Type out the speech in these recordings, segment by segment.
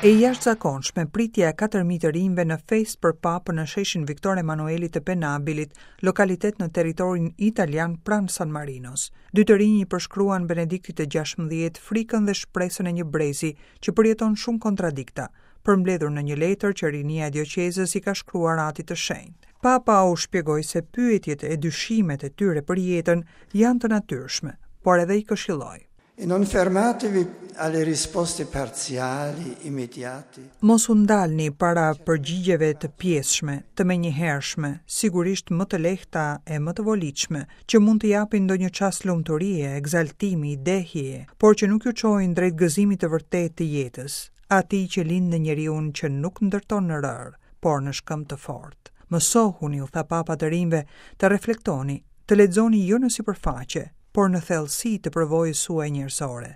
E jashtëzakonshme pritja e 4.000 të rinjve në festë për Papën në sheshin Viktor Emanueli të Penabilit, lokalitet në territorin italian pranë San Marinos. Dy të rinj i përshkruan Benediktit të 16 frikën dhe shpresën e një brezi që përjeton shumë kontradikta, përmbledhur në një letër që rinia e dioqezës i ka shkruar Atit të Shenjtë. Papa u shpjegoi se pyetjet e dyshimet e tyre për jetën janë të natyrshme, por edhe i këshilloi. E non fermatevi alle risposte parziali, immediate. Mos u ndalni para përgjigjeve të pjesshme, të menjëhershme, sigurisht më të lehta e më të volitshme, që mund të japin ndonjë çast lumturie, ekzaltimi, dehjeje, por që nuk ju çojnë drejt gëzimit të vërtetë të jetës, atij që lind në njeriun që nuk ndërton në rërë, por në shkëmb të fortë. Mësohuni, u tha Papa të rinjve, të reflektoni, të lexoni jo në sipërfaqe, por në thellësi të përvojës suaj njerëzore.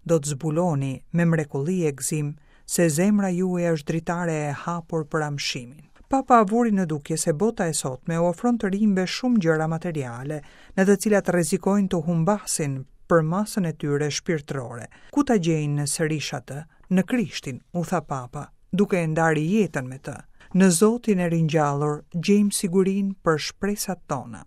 Do të zbuloni me mrekulli e gëzim se zemra juaj është dritare e hapur për amshimin. Papa vuri në dukje se bota e sotme u ofron të rinjve shumë gjëra materiale, në të cilat rrezikojnë të humbasin përmasën e tyre shpirtërore. Ku ta gjejnë sërish atë? Në Krishtin, u tha Papa, duke e ndarë jetën me të. Në Zotin e ringjallur gjejmë sigurinë për shpresat tona.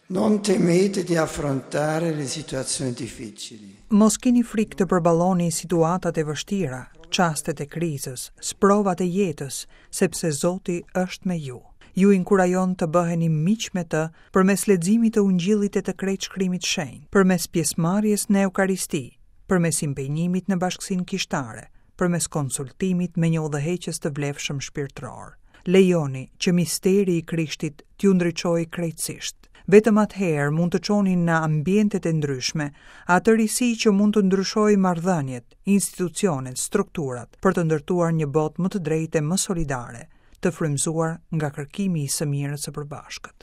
Non temete di affrontare le situazioni difficili. Mos kini frikë të përballoni situatat e vështira, çastet e krizës, sprovat e jetës, sepse Zoti është me ju. Ju inkurajon të bëheni miq me të përmes leximit të Ungjillit e të krejt Shkrimit të Shenjtë, përmes pjesëmarrjes në Eukaristi, përmes impenjimit në bashkësinë kishtare, përmes konsultimit me një udhëheqës të vlefshëm shpirtëror. Lejoni që misteri i Krishtit t'ju ndriçojë krejtësisht. Vetëm atëherë mund të çoni në ambientet e ndryshme atë risi që mund të ndryshojë marrëdhëniet, institucionet, strukturat, për të ndërtuar një botë më të drejtë e më solidare, të frymëzuar nga kërkimi i së mirës së përbashkët.